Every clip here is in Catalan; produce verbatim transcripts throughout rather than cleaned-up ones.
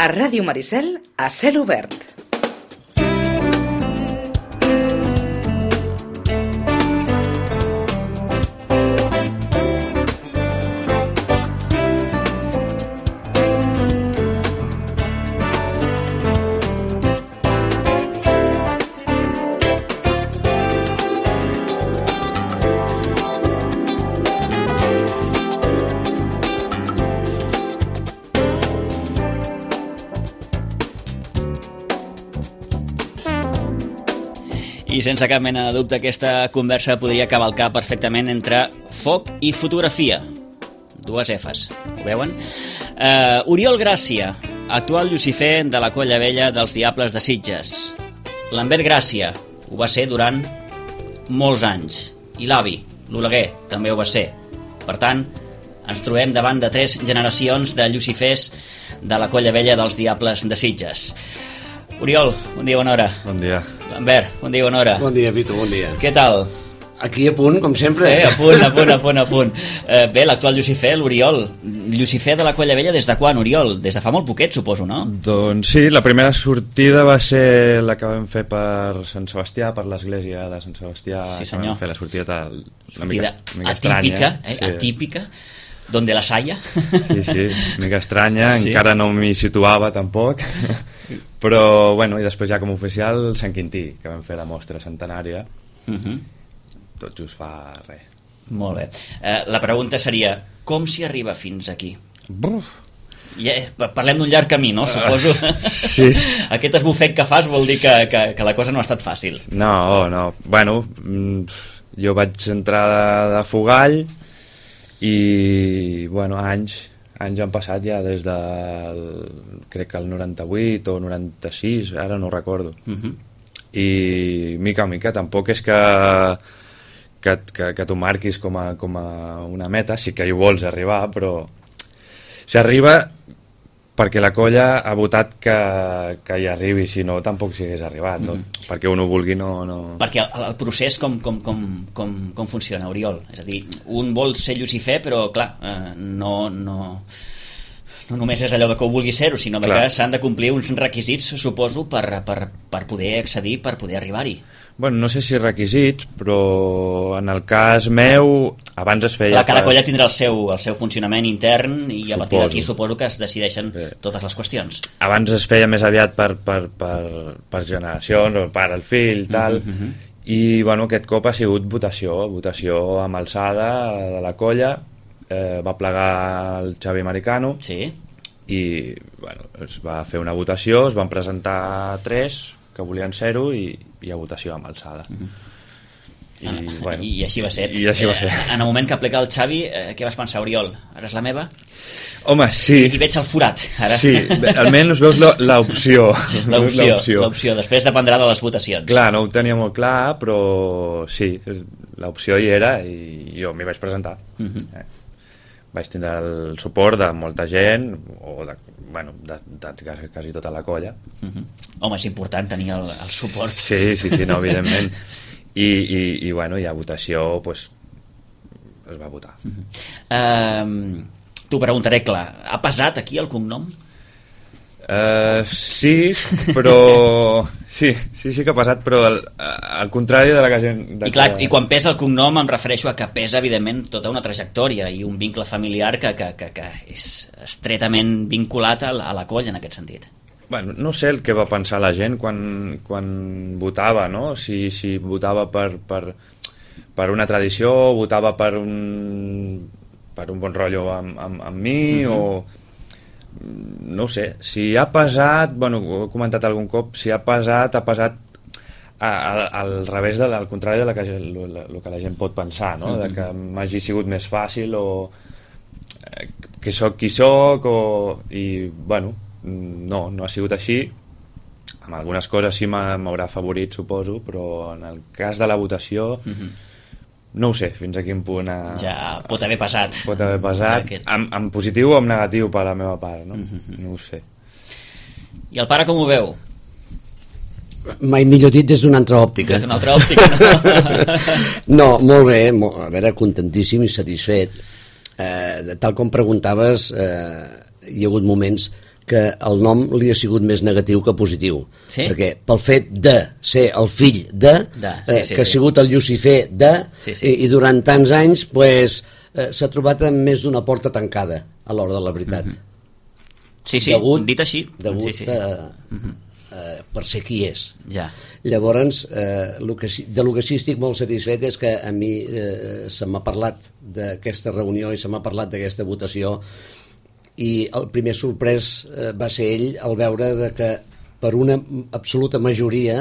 A Ràdio Maricel, a cel obert. I sense cap mena de dubte aquesta conversa podria cavalcar perfectament entre foc i fotografia. Dues Fs, ho veuen? Uh, Oriol Gràcia, actual Llucifer de la Colla Vella dels Diables de Sitges. Lambert Gràcia, ho va ser durant molts anys. I l'avi, l'Oleguer, també ho va ser. Per tant, ens trobem davant de tres generacions de Llucifers de la Colla Vella dels Diables de Sitges. Oriol, bon dia, bona hora. Bon dia. Lambert, bon dia, bona hora. Bon dia, Vito, bon dia. Què tal? Aquí a punt, com sempre. Eh, a punt, a punt, a punt, a punt. Eh, bé, l'actual Llucifer, l'Oriol. Llucifer de la Colla Vella des de quan, Oriol? Des de fa molt poquet, suposo, no? Doncs sí, la primera sortida va ser la que vam fer per Sant Sebastià, per l'església de Sant Sebastià. Sí, senyor. Que vam fer la sortida una mica, una mica atípica, estranya. Eh? Sí. Atípica. Donde las haya. Sí, sí, una mica estranya, Sí. encara no m'hi situava tampoc, però bueno, i després ja com a oficial Sant Quintí, que vam fer la mostra centenària, Uh -huh. tot just fa res. Molt bé. Eh, la pregunta seria, com s'hi arriba fins aquí? Buf. Ja, parlem d'un llarg camí, no? Suposo. Sí. Aquest esbufec que fas vol dir que, que, que la cosa no ha estat fàcil. No, no, bueno, mm, jo vaig entrar de, de Fogall i, bueno, anys, anys han passat ja des del, crec que el noranta-vuit o noranta-sis, ara no ho recordo. Uh -huh. I mica en mica, tampoc és que, que, que, que t'ho marquis com a, com a una meta, sí que hi vols arribar, però s'arriba perquè la colla ha votat que, que hi arribi, si no tampoc s'hi hagués arribat, no? Mm. Perquè un ho vulgui no... no... Perquè el, el procés com, com, com, com, com funciona, Oriol? És a dir, un vol ser Llucifer, però clar, eh, no, no, no només és allò de que ho vulgui ser-ho, sinó Clar. que s'han de complir uns requisits, suposo, per, per, per poder accedir, per poder arribar-hi. Bueno, no sé si requisits, però en el cas meu abans es feia... Clar, cada per- colla tindrà el seu, el seu funcionament intern i a partir Suposo. d'aquí suposo que es decideixen Bé. totes les qüestions. Abans es feia més aviat per, per, per, per generacions, el pare, el fill, tal, Uh -huh, uh -huh. i bueno, aquest cop ha sigut votació, votació amb alçada de la colla, eh, va plegar el Xavi Americano Sí? i bueno, es va fer una votació, es van presentar tres que volien ser-ho i, i a votació amb alçada. Uh -huh. I, I, bueno, I així va ser. I així va ser. Eh, en el moment que plega el Xavi, eh, què vas pensar, Oriol? Ara és la meva? Home, sí. I veig el forat, ara. Sí, almenys veus lo- l'opció. L'opció, l'opció. Després dependrà de les votacions. Clar, no ho tenia molt clar, però sí, l'opció hi era i jo m'hi vaig presentar. Uh -huh. eh. Vaig tindre el suport de molta gent, o de, bueno, de, de quasi, quasi tota la colla. Uh -huh. Home, és important tenir el, el suport. Sí, sí, sí, no, evidentment. I, i, i bueno, i a votació, pues, es va votar. Uh -huh. uh, T'ho preguntaré clar, ha pesat aquí el cognom? Uh, sí, però... Sí, sí, sí que ha passat, però al, al contrari de la que gent... De I, clar, que... I quan pesa el cognom em refereixo a que pesa, evidentment, tota una trajectòria i un vincle familiar que, que, que, que és estretament vinculat a la, a la colla en aquest sentit. Bueno, no sé el que va pensar la gent quan, quan votava, no? Si, si votava per, per, per una tradició, votava per un, per un bon rotllo amb, amb, amb mi, uh-huh. o... No ho sé, si ha pesat, bueno, ho he comentat algun cop, si ha pesat, ha pesat a, a, al revés, de, al contrari de la que, el que la gent pot pensar, no? De que m'hagi sigut més fàcil o eh, que sóc qui sóc o... i, bueno, no, no ha sigut així. Amb algunes coses sí m'haurà favorit, suposo, però en el cas de la votació uh-huh. no ho sé fins a quin punt ha... Ja pot haver passat. Pot haver passat, Aquest... en, en positiu o en negatiu per la meva part, no? Uh-huh. No ho sé. I el pare com ho veu? Mai millor dit des d'una altra òptica. Des d'una altra òptica, no? No, molt bé, molt, a veure, contentíssim i satisfet. Eh, tal com preguntaves, eh, hi ha hagut moments que el nom li ha sigut més negatiu que positiu. Sí? Perquè pel fet de ser el fill de, de sí, eh, sí, que ha sí. sigut el Llucifer de, Sí, sí. I, i durant tants anys pues, eh, s'ha trobat amb més d'una porta tancada a l'hora de la veritat. Mm-hmm. Sí, sí, degut, dit així. Degut sí, sí. A, eh, per ser qui és. Ja. Llavors, eh, lo que, sí- de lo que sí estic molt satisfet és que a mi eh, se m'ha parlat d'aquesta reunió i se m'ha parlat d'aquesta votació, i el primer sorprès eh, va ser ell al veure de que per una absoluta majoria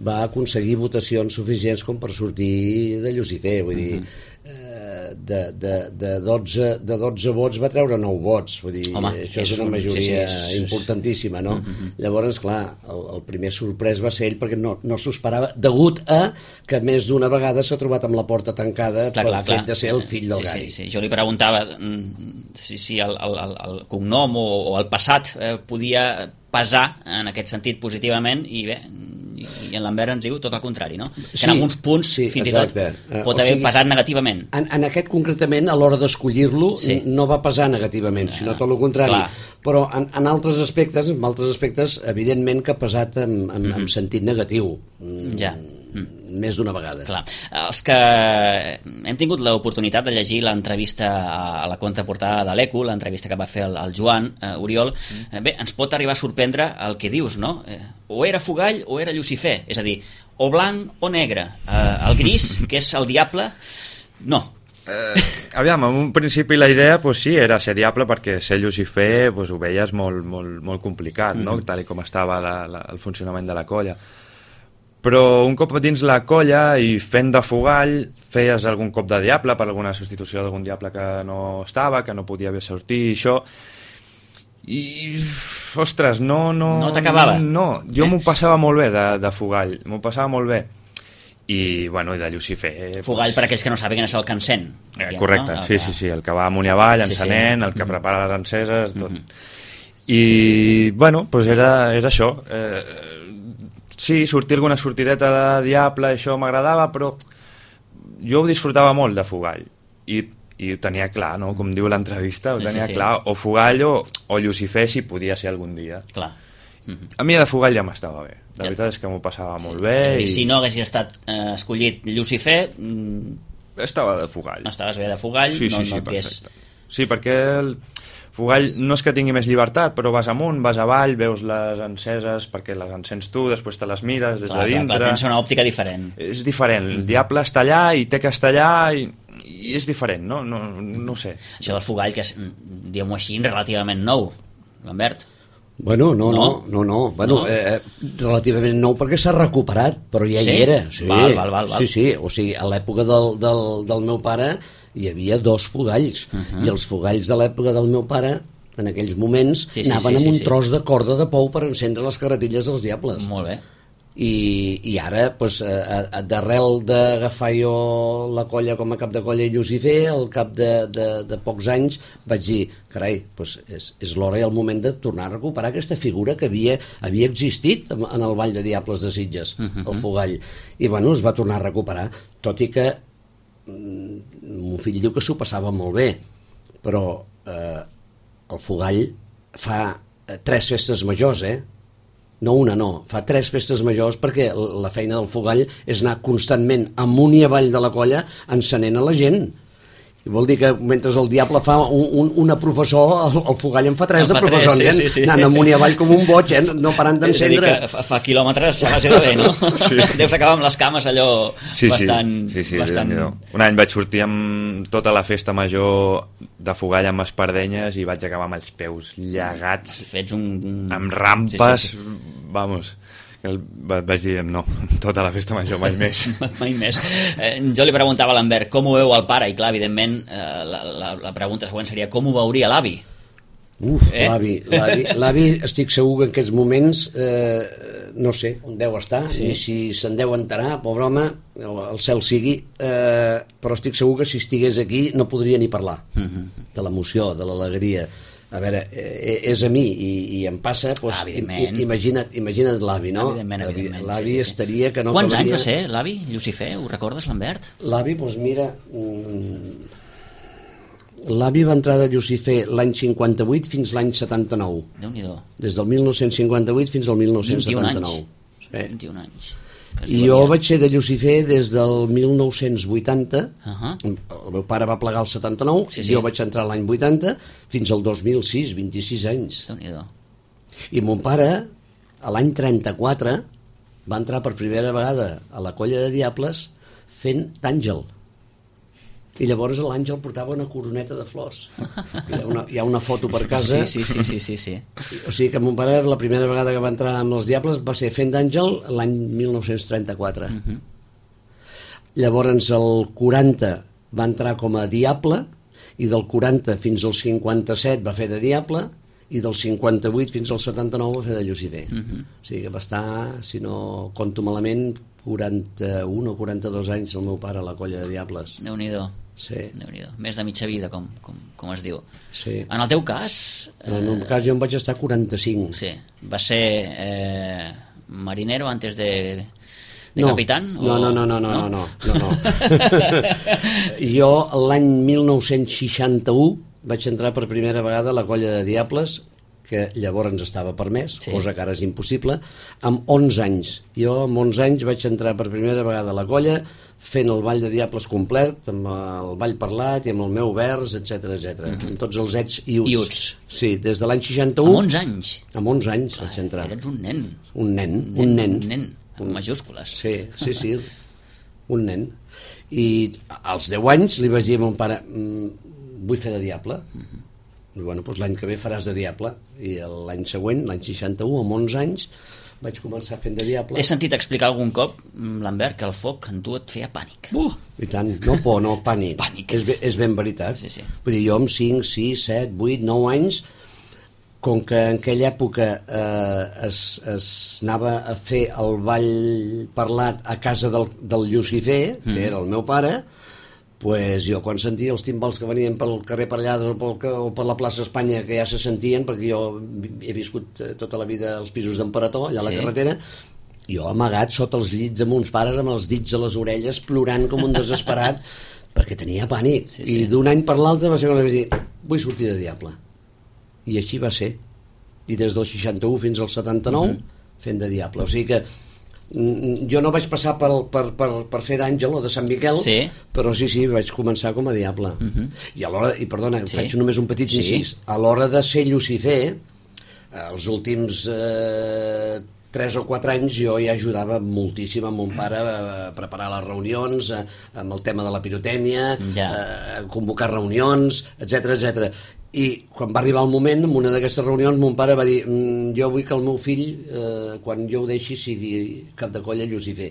va aconseguir votacions suficients com per sortir de Llucifer, vull dir, eh, de, de, de, dotze, de dotze vots va treure nou vots, vull dir, Home, això és, és una un- majoria sí, sí, és- importantíssima, no? Llavors, clar, el, el primer sorprès va ser ell perquè no, no s'ho esperava, degut a que més d'una vegada s'ha trobat amb la porta tancada Clar, pel clar, fet clar. de ser el fill del sí, Gary. sí, sí. Jo li preguntava mm, si, si el, el, el, el cognom o, o el passat eh, podia pesar en aquest sentit positivament, i bé, i, i en Lambert ens diu tot el contrari, no? Que Sí, en alguns punts, sí, fins exacte. i tot, Eh, pot o haver sigui, pesat negativament. En, en aquest concretament, a l'hora d'escollir-lo, Sí. no va pesar negativament, sinó tot el contrari. clar. Però en, en altres aspectes, en altres aspectes, evidentment que ha pesat en, en, mm -hmm. en sentit negatiu. Mm, Ja. Més d'una vegada. Clar. Els que hem tingut l'oportunitat de llegir l'entrevista a, a la contraportada de l'Eco, l'entrevista que va fer el, el Joan eh, Oriol, eh, bé, ens pot arribar a sorprendre el que dius, no? Eh, o era Fugall o era Llucifer, és a dir, o blanc o negre. Eh, el gris, que és el diable, no. Eh, aviam, en un principi la idea pues, sí, era ser diable, perquè ser Llucifer pues, ho veies molt, molt, molt complicat, no? Tal i com estava la, la, el funcionament de la colla. Però un cop dins la colla i fent de Fugall feies algun cop de diable per alguna substitució d'algun diable que no estava, que no podia sortir, i això, i ostres, no no, No t'acabava? no, jo Eh? m'ho passava molt bé de, de Fugall, m'ho passava molt bé, i bueno, i de Llucifer Fugall, per aquells que no saben, és el que encén. Eh, diguem, correcte, no? El sí, que- sí, sí, el que va amunt i avall, Sí, sí. encenent, el que Mhm. prepara les enceses, tot. I, bueno, doncs era, era això. Eh, sí, sortir alguna sortideta de diable, això m'agradava, però jo ho disfrutava molt de Fugall. I, i ho tenia clar, no? Com diu l'entrevista, ho Sí, tenia sí, sí. clar, o Fugall o, o Llucifer, si podia ser algun dia. Clar. Mhm. A mi de Fugall ja m'estava bé. La Ja. veritat és que m'ho passava molt És bé. a dir, I si no haguessis estat eh, escollit Llucifer, mm, estava de Fugall. estaves bé de Fugall, Sí, no, sí, sí, no et hagués- perfecte. Sí, perquè el Fugall no és que tingui més llibertat, però vas amunt, vas avall, veus les enceses perquè les encens tu, després te les mires des Clar, de clar, dintre. clar, tens una òptica diferent. És diferent, el diable està allà i té que estar allà i, i és diferent, no? No, no ho sé. Això del Fugall, que és, mm, diguem-ho així, relativament nou, Lambert. Bueno, no, No? no, no, no. Bueno, No? Eh, relativament nou perquè s'ha recuperat, però ja Sí? hi era. Sí, Val, val, val, val. sí, sí. O sigui, a l'època del, del, del meu pare hi havia dos Fugalls, Uh -huh. i els Fugalls de l'època del meu pare, en aquells moments, Sí, sí, anaven sí, amb sí, un sí. tros de corda de pou per encendre les carretilles dels diables. Molt bé. I, i ara, pues, a, a, d'arrel d'agafar jo la colla com a cap de colla i Llucifer, al cap de, de, de pocs anys vaig dir, carai, pues és, és l'hora i el moment de tornar a recuperar aquesta figura que havia, havia existit en, en el Ball de Diables de Sitges, uh -huh. el Fugall, i bueno, es va tornar a recuperar, tot i que mm, mon fill diu que s'ho passava molt bé, però eh, el Fugall fa eh, tres festes majors, eh? No una, no. Fa tres festes majors perquè la feina del Fugall és anar constantment amunt i avall de la colla encenent a la gent. I vol dir que mentre el diable fa un, un, una professor, el, el Fugall en fa tres En de fa professor, tres, sí, nen, sí, sí. anant amunt i avall com un boig, eh? No parant És a dir, d'encendre. que fa, fa quilòmetres a base de bé, no? Sí. Deus acabar amb les cames allò Sí, bastant... sí, sí, sí, bastant... Déu-n'hi-do. Un any vaig sortir amb tota la festa major de Fugall amb espardenyes i vaig acabar amb els peus llegats, Fets un... amb rampes, Sí, sí, sí. vamos, que el, va- vaig dir, no, tota la festa major mai més. Mai més. Eh, jo li preguntava a l'Ambert com ho veu el pare, i clar, evidentment, eh, la, la, la pregunta següent seria com ho veuria l'avi? Uf, Eh? l'avi, l'avi, l'avi estic segur que en aquests moments eh, no sé on deu estar, Sí. ni si se'n deu enterar, pobre home, el, el cel sigui, eh, però estic segur que si estigués aquí no podria ni parlar Mhm. de l'emoció, de l'alegria. A veure, eh, és a mi i, i em passa, doncs, Ah, i, evidentment. i, imagina't, imagina't l'avi, no? Evidentment, L'avi- evidentment. L'avi sí, sí, sí. estaria que no Quants acabaria- anys va ser l'avi, Llucifer? Ho recordes, Lambert? L'avi, doncs mira, mm, L'avi va entrar de Llucifer l'any cinquanta-vuit fins l'any setanta-nou. Déu-n'hi-do. Des del mil nou-cents cinquanta-vuit fins al mil nou-cents setanta-nou. vint i un anys. Sí. vint i un anys. I jo vaig ser de Llucifer des del mil nou-cents vuitanta. Uh-huh. El meu pare va plegar el setanta-nou, sí, sí. Jo vaig entrar l'any vuitanta fins al dos mil sis, vint-i-sis anys. Déu-n'hi-do. I mon pare, a l'any trenta-quatre, va entrar per primera vegada a la Colla de Diables fent d'àngel. I llavors l'àngel portava una coroneta de flors. Hi ha una, hi ha una foto per casa. Sí, sí, sí, sí, sí. O sigui que mon pare la primera vegada que va entrar amb els Diables va ser fent d'àngel l'any mil nou-cents trenta-quatre. Uh-huh. Llavors el quaranta va entrar com a Diable i del quaranta fins al cinquanta-set va fer de Diable i del cinquanta-vuit fins al setanta-nou va fer de Llucifer. Uh-huh. O sigui que va estar, si no compto malament, quaranta-un o quaranta-dos anys el meu pare a la Colla de Diables. Déu-n'hi-do. Sí. Déu-n'hi-do. Més de mitja vida, com, com, com es diu. Sí. En el teu cas... En el meu cas jo em vaig estar quaranta-cinc. Sí. Va ser eh, marinero antes de, de no. capitán? No, o... no, no, no, no, no, no, no, no. Jo l'any mil nou-cents seixanta-u vaig entrar per primera vegada a la Colla de Diables, que llavors estava permès, sí. Cosa que ara és impossible, amb onze anys. Jo amb onze anys vaig entrar per primera vegada a la colla fent el ball de Diables complet, amb el ball parlat i amb el meu vers, etc etcètera, mm-hmm. amb tots els ets i uts. I uts. Sí, des de l'any seixanta-u... Amb onze anys? Amb onze anys vaig entrar. Eres un nen. Un nen, un nen. un nen. Un nen, amb majúscules. Sí, sí, sí, un nen. I als deu anys li vaig dir a mon pare, vull fer de Diable. Mm-hmm. I bueno, doncs l'any que ve faràs de Diable. I l'any següent, l'any seixanta-u, amb onze anys, vaig començar fent de Diable. T'he sentit explicar algun cop, Lambert, que el foc en tu et feia pànic. Uh, I tant, no por, no, pànic. Pànic. És, és ben veritat. Sí, sí. Vull dir, jo amb cinc, sis, set, vuit, nou anys, com que en aquella època eh, es, es anava a fer el ball parlat a casa del, del Llucifer, mm. que era el meu pare, pues jo quan sentia els timbals que venien pel carrer Parellades o, pel, o per la plaça Espanya, que ja se sentien, perquè jo he viscut tota la vida als pisos d'Emperador, allà a la sí. carretera, jo amagat sota els llits amb uns pares amb els dits a les orelles, plorant com un desesperat, perquè tenia pànic. Sí, sí. I d'un any per l'altre va ser quan li vaig dir, vull sortir de Diable. I així va ser. I des del seixanta-u fins al setanta-nou, uh-huh. fent de Diable. O sigui que jo no vaig passar per, per, per, per fer d'Àngel o de Sant Miquel, sí. però sí, sí, vaig començar com a Diable. Uh-huh. I a l'hora, i perdona, sí. faig només un petit incís, sí. a l'hora de ser Llucifer, els últims eh, tres o quatre anys jo ja ajudava moltíssim a mon pare a preparar les reunions, a, amb el tema de la pirotècnia, ja. a convocar reunions, etcètera etcètera. I quan va arribar el moment, en una d'aquestes reunions, mon pare va dir, mm, jo vull que el meu fill, eh, quan jo ho deixi, sigui cap de colla Llucifer.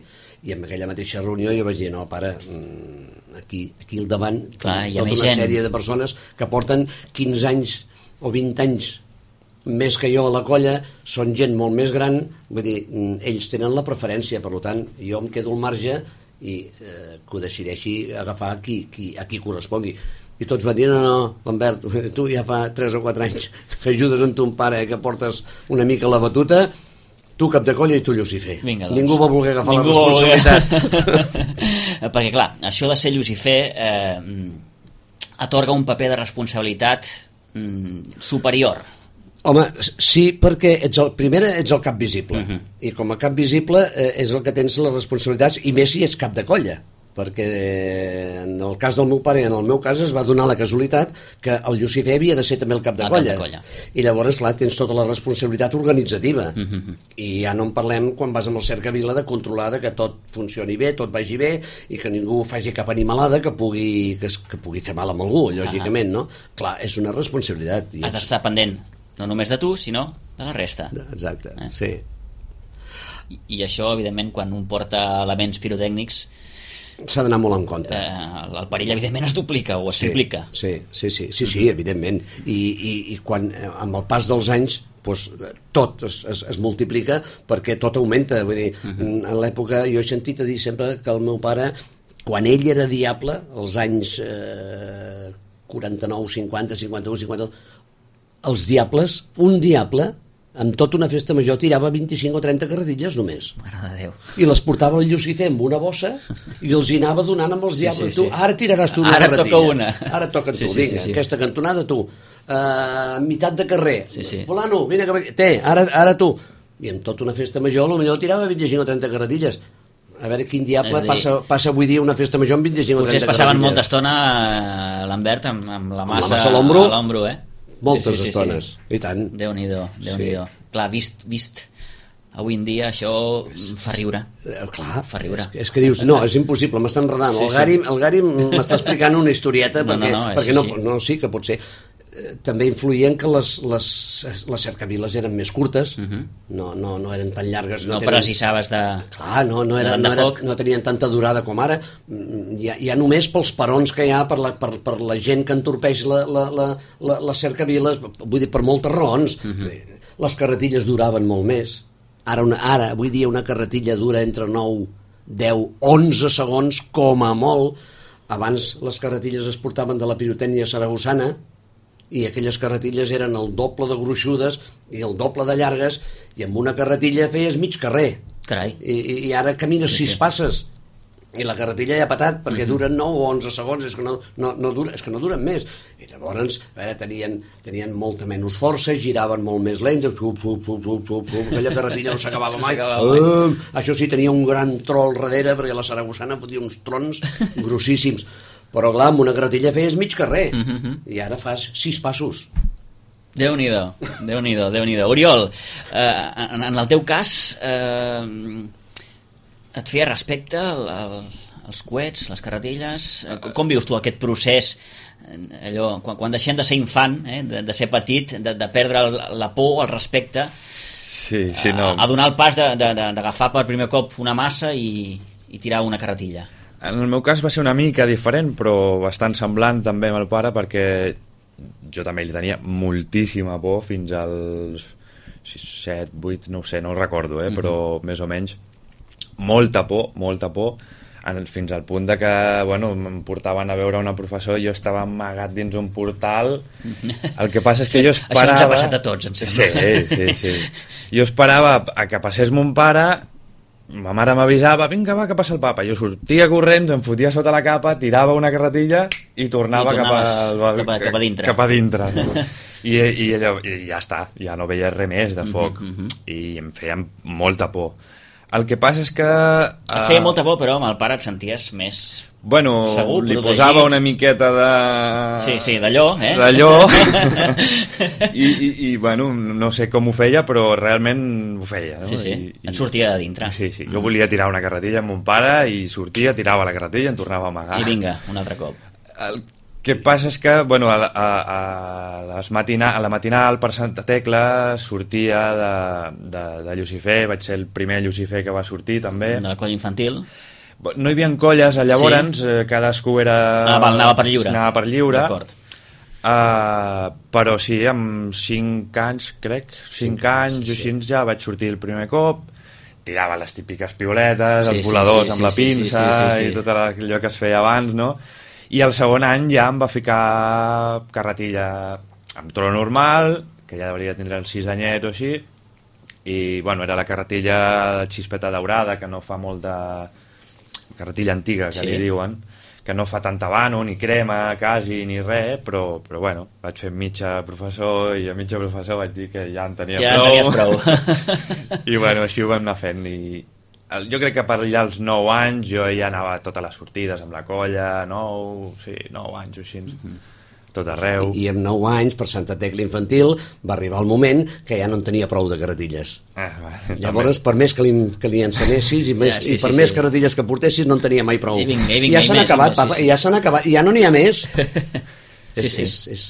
I en aquella mateixa reunió jo vaig dir, no, pare, mm, aquí, aquí al davant, clar, tota una gent. Sèrie de persones que porten quinze anys o vint anys més que jo a la colla, són gent molt més gran, vull dir, ells tenen la preferència, per tant, jo em quedo al marge i eh, que ho decideixi agafar qui, qui, a qui correspongui. I tots van dir, no, no, Lambert, tu ja fa tres o quatre anys que ajudes amb ton pare, que portes una mica la batuta, tu cap de colla i tu Llucifer. Vinga, doncs. Ningú va voler agafar Ningú la responsabilitat. Perquè, clar, això de ser Llucifer eh, atorga un paper de responsabilitat mm, superior. Home, sí, perquè ets el, primer ets el cap visible, uh-huh. i com a cap visible eh, és el que tens les responsabilitats, i més si ets cap de colla, perquè en el cas del meu pare i en el meu cas es va donar la casualitat que el Llucifer havia de ser també el cap de, el colla. cap de colla. I llavors, clar, tens tota la responsabilitat organitzativa. Uh-huh. I ja no en parlem quan vas amb el cercavila de controlar que tot funcioni bé, tot vagi bé, i que ningú faci cap animalada que pugui, que, que pugui fer mal amb algú, lògicament, uh-huh. no? Clar, és una responsabilitat. Has d'estar pendent, no només de tu, sinó de la resta. Exacte, eh? sí. I, I això, evidentment, quan un porta elements pirotècnics, s'ha d'anar molt en compte. Eh, el perill, evidentment, es duplica o es sí, triplica. Sí, sí, sí, sí, sí, evidentment. I, i, i quan, amb el pas dels anys, doncs, tot es, es, es multiplica perquè tot augmenta. Vull dir, uh-huh. en l'època, jo he sentit a dir sempre que el meu pare, quan ell era Diable, als anys eh, quaranta-nou, cinquanta, cinquanta-u, cinquanta, els Diables, un Diable amb tota una festa major tirava vint-i-cinc o trenta carretilles només. Mare de Déu. I les portava el Llucifer amb una bossa i els hi anava donant amb els diables. Sí, sí, sí. Tu, ara tiraràs tu una ara carretilla. Toca una. Ara toca tu, sí, sí, vinga, sí, sí. aquesta cantonada tu. Uh, meitat de carrer. Sí, sí. Fulano, vine, que... té, ara, ara tu. I amb tota una festa major potser tirava vint-i-cinc o trenta carretilles. A veure quin diable dir, passa, passa avui dia una festa major amb vint-i-cinc o trenta carretilles. Potser es passaven molta estona l'Ambert amb, amb la massa, massa a l'ombro, eh? Moltes sí, sí, sí, estones, sí. I tant. Déu-n'hi-do, Déu-n'hi-do. Sí. Clar, vist, vist avui en dia això fa riure. Eh, clar, fa riure. És, que, és que dius, no, és impossible, m'està enredant. Sí, el Gari, sí. el Gari m'està explicant una historieta no, perquè, no, no, perquè no, sí. no, sí que pot ser. També influïen que les, les, les cercaviles eren més curtes, uh -huh. no, no, no eren tan llargues. No, no tenen... precisaves de... Clar, no, no, era, no, era, no tenien tanta durada com ara. Ja, ja només pels perons que hi ha, per la, per, per la gent que entorpeix la, la, la, la, les cercaviles, vull dir, per moltes raons. Uh -huh. Les carretilles duraven molt més. Ara, una, ara, avui dia, una carretilla dura entre nou, deu, onze segons, com a molt. Abans les carretilles es portaven de la pirotècnia saragossana, i aquelles carretilles eren el doble de gruixudes i el doble de llargues, i amb una carretilla feies mig carrer. Carai. I, i ara camines sí, sis sí. passes i la carretilla ja ha patat perquè uh -huh. duren nou o onze segons, és que no, no, no, dura, és que no duren més. I llavors, a veure, tenien, tenien molta menys força, giraven molt més lents, xup, xup, xup, xup, xup, xup, aquella carretilla no s'acabava mai. Uh, això sí, tenia un gran tro al darrere, perquè la saragossana fotia uns trons grossíssims. Però clar, amb una carretilla feies mig carrer, uh -huh. i ara fas sis passos. Déu-n'hi-do, Déu-n'hi-do, Déu-n'hi-do. Oriol, eh, en, en el teu cas, eh, et feia respecte el, el, els coets, les carretilles? Com, com vius tu aquest procés, allò, quan, quan deixem de ser infant, eh, de, de ser petit, de, de perdre el, la por, el respecte, sí, sí, no. a, a donar el pas d'agafar per primer cop una massa i, i tirar una carretilla? En el meu cas va ser una mica diferent, però bastant semblant també amb el pare, perquè jo també li tenia moltíssima por fins als sis, set, vuit, no ho sé, no ho recordo, eh? Però més o menys molta por, molta por, fins al punt de que, bueno, em portaven a veure una professor i jo estava amagat dins un portal. El que passa és que jo esperava... Això ens ha passat a tots, em sembla. Sí, sí, sí. Jo esperava a que passés mon pare, ma mare m'avisava, vinga va, que passa el papa. Jo sortia corrents, em fotia sota la capa, tirava una carretilla i tornava I cap, a, cap, a, cap a dintre. Cap a dintre. I, i, allò, I ja està, ja no veia res més de foc. Uh -huh, uh -huh. I em feia molta por. El que passa és que... Uh, et feia molta por, però amb el pare et senties més... Bueno, segur, li protegit. Posava una miqueta de... Sí, sí, d'allò, eh? D'allò. I, i, I, bueno, no sé com ho feia, però realment ho feia, no? Sí, sí, I, et sortia de dintre. Sí, sí, jo volia tirar una carretilla amb mon pare i sortia, tirava la carretilla i em tornava a amagar. I vinga, un altre cop. El que passa és que, bueno, a, a, a, les matina, a la matinal per Santa Tecla sortia de, de, de Llucifer, vaig ser el primer Llucifer que va sortir també. De la colla infantil. No hi havia colles, llavors, sí. eh, cadascú era... Ah, val, anava per lliure. Anava per lliure. D'acord. Uh, però sí, amb cinc anys, crec, cinc, cinc anys, sí, sí. Així ja vaig sortir el primer cop, tirava les típiques piuletes, sí, els voladors sí, sí, amb sí, la pinça sí, sí, sí, sí. i tot allò que es feia abans, no? I el segon any ja em va ficar carretilla amb tro normal, que ja hauria de tindre els sis anyets o així, i bueno, era la carretilla de xispeta daurada, que no fa molt de... carretilla antiga, que sí. li diuen, que no fa tanta vano, ni crema, quasi, ni res, però, però bueno, vaig fer mitja professor i a mitja professor vaig dir que ja en tenia ja prou. Ja en tenies prou. I bueno, així ho vam anar fent. I jo crec que per allà als nou anys jo ja anava a totes les sortides amb la colla, nou, sí, nou anys o així, mm-hmm. tot arreu. I, I amb nou anys, per Santa Tecla infantil, va arribar el moment que ja no en tenia prou de carretilles. Ah, va, Llavors, per més que li, que li ensenyessis i, més, ja, sí, i per sí, més sí. carretilles que portessis, no en tenia mai prou. I, vinga, i, vinga, I ja s'han acabat, més, papa, sí, sí. i ja s'han acabat, i ja no n'hi ha més. sí, és, sí. És, és,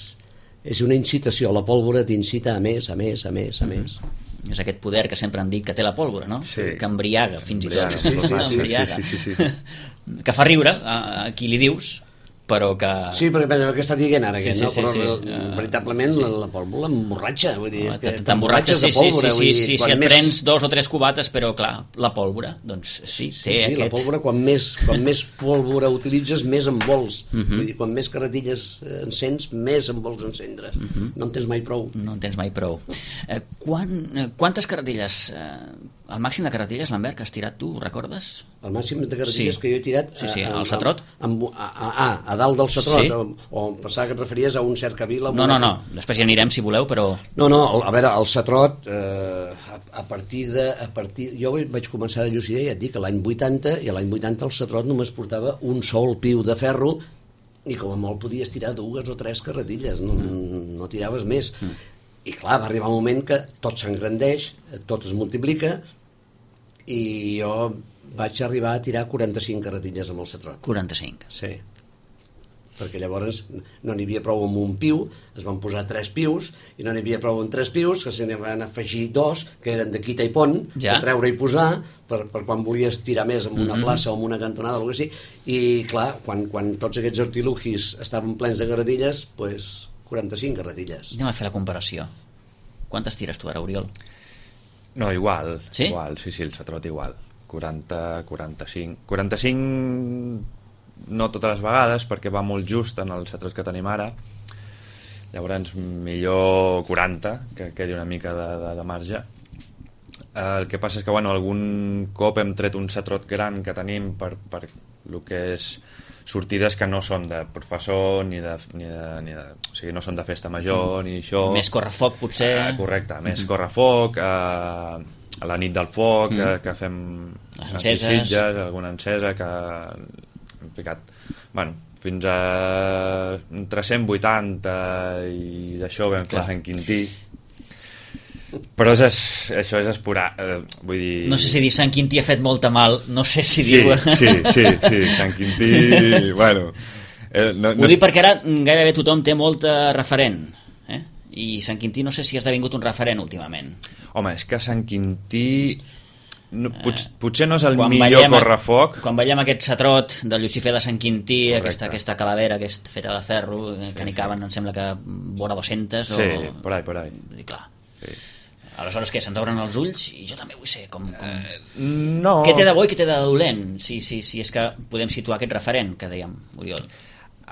és una incitació, la pólvora t'incita a més, a més, a més, a mm-hmm. més. És aquest poder que sempre han dit que té la pólvora, no? Sí. Que embriaga, fins i tot. Sí, sí, sí, embriaga. sí, sí, sí, sí. Que fa riure a, a qui li dius, però que... Sí, perquè pensa, què està dient ara Sí, aquest, sí, no? sí, Però sí. uh, veritablement sí, sí. la, la pólvora emborratxa, vull dir, és que t'emborratxes, sí, de sí, pólvora, sí, vull sí, dir, sí, quan si et més- prens dos o tres cubates, però clar, la pólvora, doncs sí, té Sí, sí, aquest... la pólvora, quan més, quan més pólvora utilitzes, més en vols. Mhm. Vull dir, quan més carretilles eh, encens, més en vols encendre. Mhm. No en tens mai prou. No en tens mai prou. Eh, quan, eh, quantes carretilles, eh, el màxim de carretilles, Lambert, que has tirat tu, ho recordes? El màxim de carretilles Sí. que jo he tirat... Sí, sí, a, al Satrot. A, a, a, a, a dalt del Satrot, Sí. o, o em pensava que et referies a un cercavila... No, no, no, després hi anirem si voleu, però... No, no, a veure, el Satrot, eh, a, a partir de... A partir, jo vaig començar de llucidar, ja et dic, l'any vuitanta, i l'any vuitanta el Satrot només portava un sol piu de ferro, i com a molt podies tirar dues o tres carretilles, no, mm. no tiraves més. Mm. I clar, va arribar un moment que tot s'engrandeix, tot es multiplica, i jo vaig arribar a tirar quaranta-cinc carretilles amb el Satrot. quaranta-cinc. Sí, perquè llavors no n'hi havia prou amb un piu, es van posar tres pius, i no n'hi havia prou amb tres pius, que se n'hi van afegir dos, que eren de quita i pont, Ja. de treure i posar, per, per quan volies tirar més en una Mhm. plaça o en una cantonada o alguna cosa així, i clar, quan, quan tots aquests artilugis estaven plens de carretilles, pues, quaranta-cinc carretilles. Anem a fer la comparació. Quantes tires tu ara, Oriol? No, igual, Sí? igual, sí, sí, el Satrot igual. quaranta, quaranta-cinc... quaranta-cinc no totes les vegades, perquè va molt just en el Satrot que tenim ara. Llavors, millor quaranta, que quedi una mica de, de, de marge. Eh, el que passa és que, bueno, algun cop hem tret un Satrot gran que tenim per, per el que és sortides que no són de professor ni de, ni de, ni de o sigui, no són de festa major ni això. Més correfoc, potser. Eh, correcte, més mm-hmm. correfoc, eh, a la nit del foc, mm. que, que fem les enceses, sitges, alguna encesa que hem ficat, bueno, fins a entre cent vuitanta i d'això vam fer Clar. Sant Quintí. Però és, es, això és esporar, eh, vull dir... No sé si dir Sant Quintí ha fet molta mal, no sé si sí, diu... sí, sí, sí, Sant Quintí, bueno... Eh, no, Ho no dic perquè ara gairebé tothom té molta referent, eh? I Sant Quintí no sé si ha esdevingut un referent últimament. Home, és que Sant Quintí... No, pot, potser no és el Quan millor veiem- correfoc. Quan veiem aquest Satrot de Lucifer de Sant Quintí, Correcte. aquesta, aquesta calavera que és feta de ferro, que sí, n'hi caben, em sembla que vora dos-centes Sí, o... por ahí, por ahí. I clar. Sí. Aleshores, què, se'ns obren els ulls? I jo també vull ser com... com... No... Què té de bo i què té de dolent? Si, si, si és que podem situar aquest referent que dèiem, Oriol.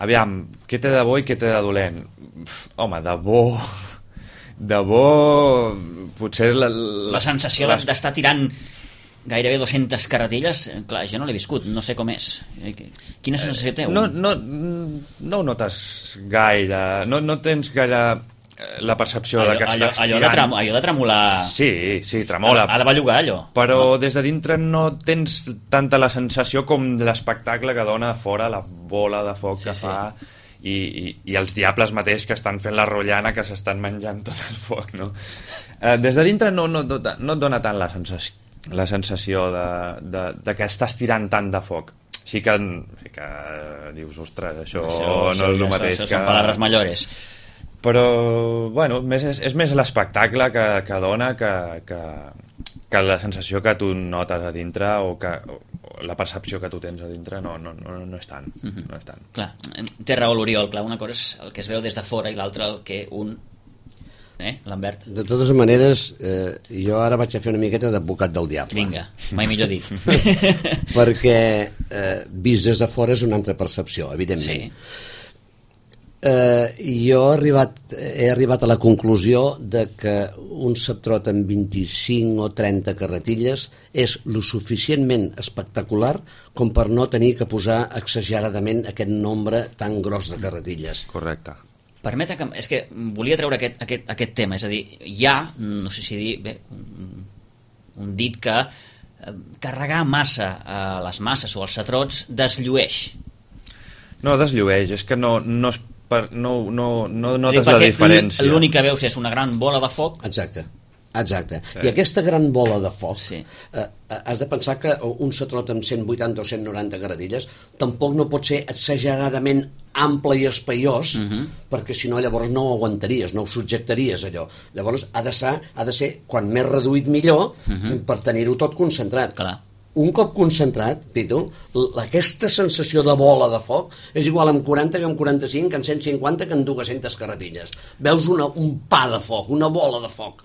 Aviam, què té de bo i què té de dolent? Uf, home, de bo... De bo... Potser... La, La sensació les- d'estar tirant gairebé dues-centes carretilles, eh, clar, jo no l'he viscut, no sé com és. Eh, Quina sensació té? No, no, no ho notes gaire, no, no tens gaire eh, la percepció allò, de que allò, estàs allò, de tirant. trem, allò de tremolar... Sí, sí, tremola. Ha, ha de bellugar, allò. Però des de dintre no tens tanta la sensació com l'espectacle que dona a fora la bola de foc Sí, que sí. fa i, i, i els diables mateix que estan fent la rotllana, que s'estan menjant tot el foc, no? Eh, des de dintre no, no, no, no et dona tant la sensació, la sensació de, de, de que estàs tirant tant de foc. Sí que, sí que dius, ostres, això, Això, no això, és el això, mateix això que... són palabres mayores. Però, bueno, més, és, és més l'espectacle que, que dona que, que, que la sensació que tu notes a dintre o, que, o la percepció que tu tens a dintre no, no, no, no és tant, Mhm. no és tant. Clar, té raó l'Oriol, clar, una cosa és el que es veu des de fora i l'altra el que un... Eh, Lambert? De totes maneres, eh, jo ara vaig a fer una miqueta d'advocat del diable. Vinga, mai millor dit. Perquè eh, vist des de fora és una altra percepció, evidentment. Sí. Eh, jo he arribat, he arribat a la conclusió de que un Satrot amb vint-i-cinc o trenta carretilles és lo suficientment espectacular com per no tenir que posar exageradament aquest nombre tan gros de carretilles. Correcte. Permeta que... És que volia treure aquest, aquest, aquest tema, és a dir, hi ha, no sé si dir, bé, un, un dit que eh, carregar massa a les masses o als satrots desllueix. No desllueix, és que no, no, es per, no, no, no notes Perquè la diferència. l'únic que veus és una gran bola de foc. Exacte. Exacte. Sí. I aquesta gran bola de foc, Sí. eh, has de pensar que un Satrot amb cent vuitanta o cent noranta carretilles tampoc no pot ser exageradament ample i espaiós, Mhm. perquè si no llavors no ho aguantaries, no ho subjectaries allò. Llavors ha de ser, ha de ser quan més reduït millor, Mhm. per tenir-ho tot concentrat. Clar. un cop concentrat, Pitu, aquesta sensació de bola de foc és igual amb quaranta que amb quaranta-cinc, que amb cent cinquanta, que amb dues-centes carretilles. Veus una, un pa de foc, una bola de foc.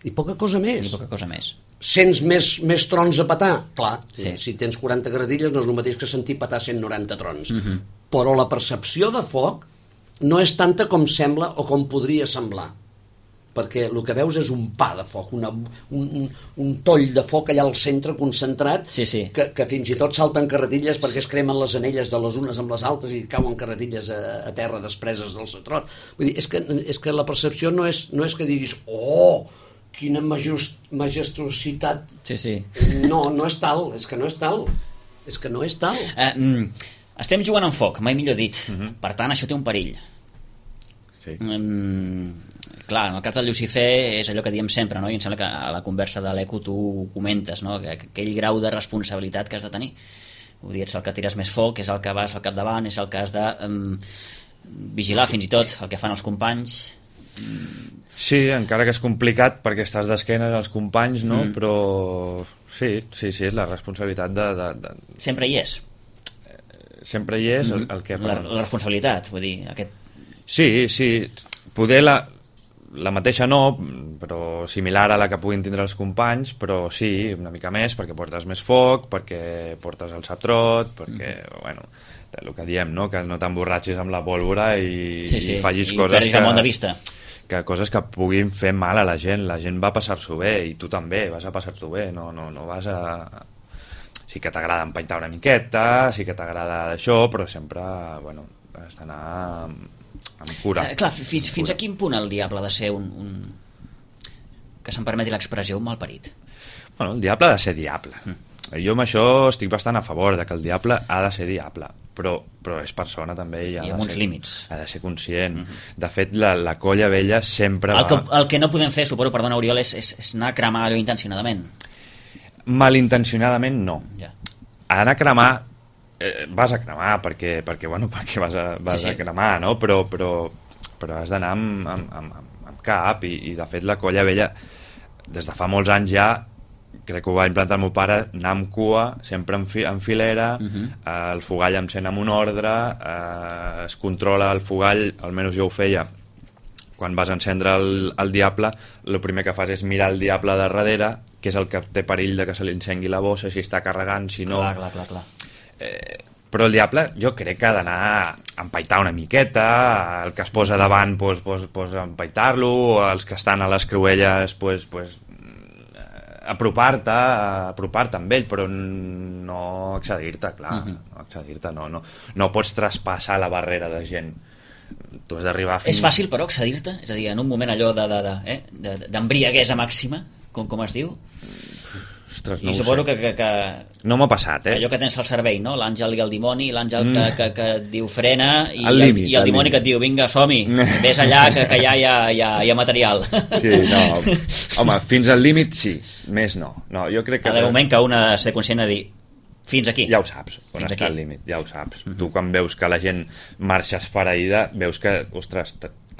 I poca cosa més. I poca cosa més. Sents més, més trons a petar? Clar, sí. Si tens quaranta carretilles no és el mateix que sentir petar cent noranta trons. Uh-huh. Però la percepció de foc no és tanta com sembla o com podria semblar. Perquè el que veus és un pa de foc, una, un, un, un toll de foc allà al centre concentrat, sí, sí. Que, que fins i tot salten carretilles perquè es cremen les anelles de les unes amb les altres i cauen carretilles a, a terra despreses del satrot. Vull dir, és que, és que la percepció no és, no és que diguis oh, quina majest, majestuositat. Sí, sí. No, no és tal, és que no és tal. És que no és tal. Uh, mm, estem jugant amb foc, mai millor dit. Uh-huh. Per tant, això té un perill. Sí. Mm, clar, en el cas del Llucifer és allò que diem sempre, no? I em sembla que a la conversa de l'Eco tu ho comentes, no? Que, que aquell grau de responsabilitat que has de tenir. Ho dir, ets el que tires més foc, és el que vas al capdavant, és el que has de um, vigilar fins i tot el que fan els companys. Sí, encara que és complicat perquè estàs d'esquenes als companys, no? Mm. Però sí, sí, sí, és la responsabilitat de... de, de... Sempre hi és. Sempre hi és el, el que... La, la responsabilitat, vull dir, aquest... Sí, sí, poder la, la mateixa no, però similar a la que puguin tindre els companys, però sí, una mica més, perquè portes més foc, perquè portes el satrot, perquè, mm. bueno, el que diem, no? Que no t'emborratxis amb la pólvora i, sí, sí. i facis I coses que, de vista. que coses que puguin fer mal a la gent. La gent va a passar-s'ho bé i tu també vas a passar-t'ho bé, no, no, no vas a... Sí que t'agrada empaitar una miqueta, sí que t'agrada això, però sempre, bueno, has d'anar amb, amb cura. Eh, clar, fins, amb fins cura. a quin punt el diable ha de ser un... un... que se'm permeti l'expressió, un malparit? Bueno, el diable ha de ser diable. Mm. Jo amb això estic bastant a favor de que el diable ha de ser diable, però, però és persona també i, ha I amb de uns ser, límits. Ha de ser conscient. Mm-hmm. De fet, la, la colla vella sempre el va... que, el que no podem fer, suposo, perdona, Oriol, és, és, és anar a cremar allò intencionadament. Malintencionadament no. Ja. Anar a cremar eh, vas a cremar perquè, perquè, bueno, perquè vas, a, vas sí, sí. a cremar, no? Però, però, però has d'anar amb, amb, amb, amb cap i, i de fet la colla vella des de fa molts anys ja, crec que ho va implantar el meu pare, anar amb cua, sempre en, fi, en filera, uh-huh. eh, el fogall encén amb un ordre, eh, es controla el fogall, almenys jo ho feia, quan vas encendre el, el diable, el primer que fas és mirar el diable de darrere, que és el que té perill de que se li encengui la bossa, si està carregant, si no... Clar, clar, clar, clar. Eh, però el diable jo crec que ha d'anar a empaitar una miqueta, el que es posa davant pues, pues, pues, empaitar-lo, els que estan a les creuelles pues, pues, apropar-te apropar-te amb ell, però no accedir-te, clar, uh-huh. no accedir-te, no, no, no pots traspassar la barrera de gent. Tu has d'arribar fins... És fàcil, però, accedir-te? És a dir, en un moment allò de, de, de, eh, de, d'embriaguesa màxima, com, com es diu? Ostres, no I suposo que, que, que... No m'ha passat, eh? Allò que tens al cervell, no? L'àngel i el dimoni, l'àngel que, que, que et diu frena i el, límit, i el dimoni que et diu vinga, som-hi, vés allà que, que allà hi ha, hi, ha, hi ha material. Sí, no. Home, fins al límit sí, més no. No, jo crec que... Ha d'haver un moment que un ha de ser conscient de dir fins aquí. Ja ho saps, on fins està aquí. el límit, ja ho saps. Uh-huh. Tu quan veus que la gent marxa esfereïda, veus que, ostres,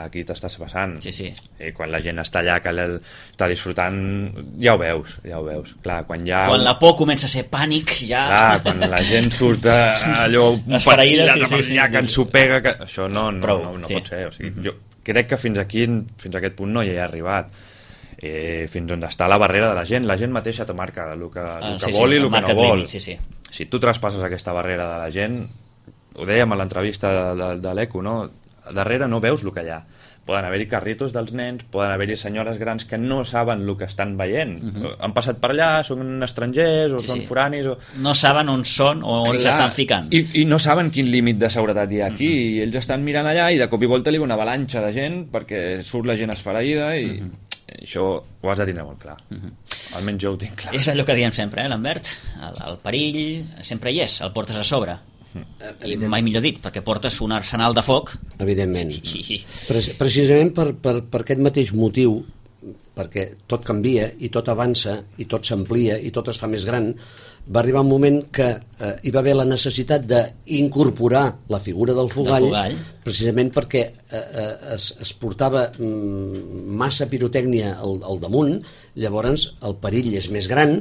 aquí t'estàs passant. Sí, sí. I quan la gent està allà, que està disfrutant, ja ho veus, ja ho veus. Clar, quan ja... Quan la por comença a ser pànic, ja... Clar, quan la gent surt allò... esfereïda, sí, sí, sí. Ja que ens ho pega, que... això no, no, Prou, no, no sí. pot ser. O sigui, uh-huh. Jo crec que fins aquí, fins a aquest punt no hi he arribat. Eh, fins on està la barrera de la gent. La gent mateixa te marca el que, el ah, que sí, vol sí, i el que no vol. Límit, sí, sí. Si tu traspasses aquesta barrera de la gent, ho dèiem a l'entrevista de, de, de l'Eco, no? Darrere no veus el que hi ha. Poden haver-hi carritos dels nens, poden haver-hi senyores grans que no saben el que estan veient. Uh-huh. Han passat per allà, són estrangers o sí, són sí. foranis o... No saben on són o on s'estan ficant. I, I no saben quin límit de seguretat hi ha aquí. Uh-huh. I ells estan mirant allà i de cop i volta li ve una avalanxa de gent perquè surt la gent esfereïda i... Uh-huh. Això ho has de tindre molt clar. Uh-huh. Almenys jo ho tinc clar. És allò que diem sempre, eh, Lambert? El, el perill sempre hi és, el portes a sobre. Uh-huh. I mai millor dit, perquè portes un arsenal de foc. Evidentment. I... Pre- precisament per, per, per aquest mateix motiu, perquè tot canvia i tot avança i tot s'amplia i tot es fa més gran, va arribar un moment que eh, hi va haver la necessitat d'incorporar la figura del fogall, fogall. precisament perquè eh, eh, es, es portava mm, massa pirotècnia al, al damunt, llavors el perill és més gran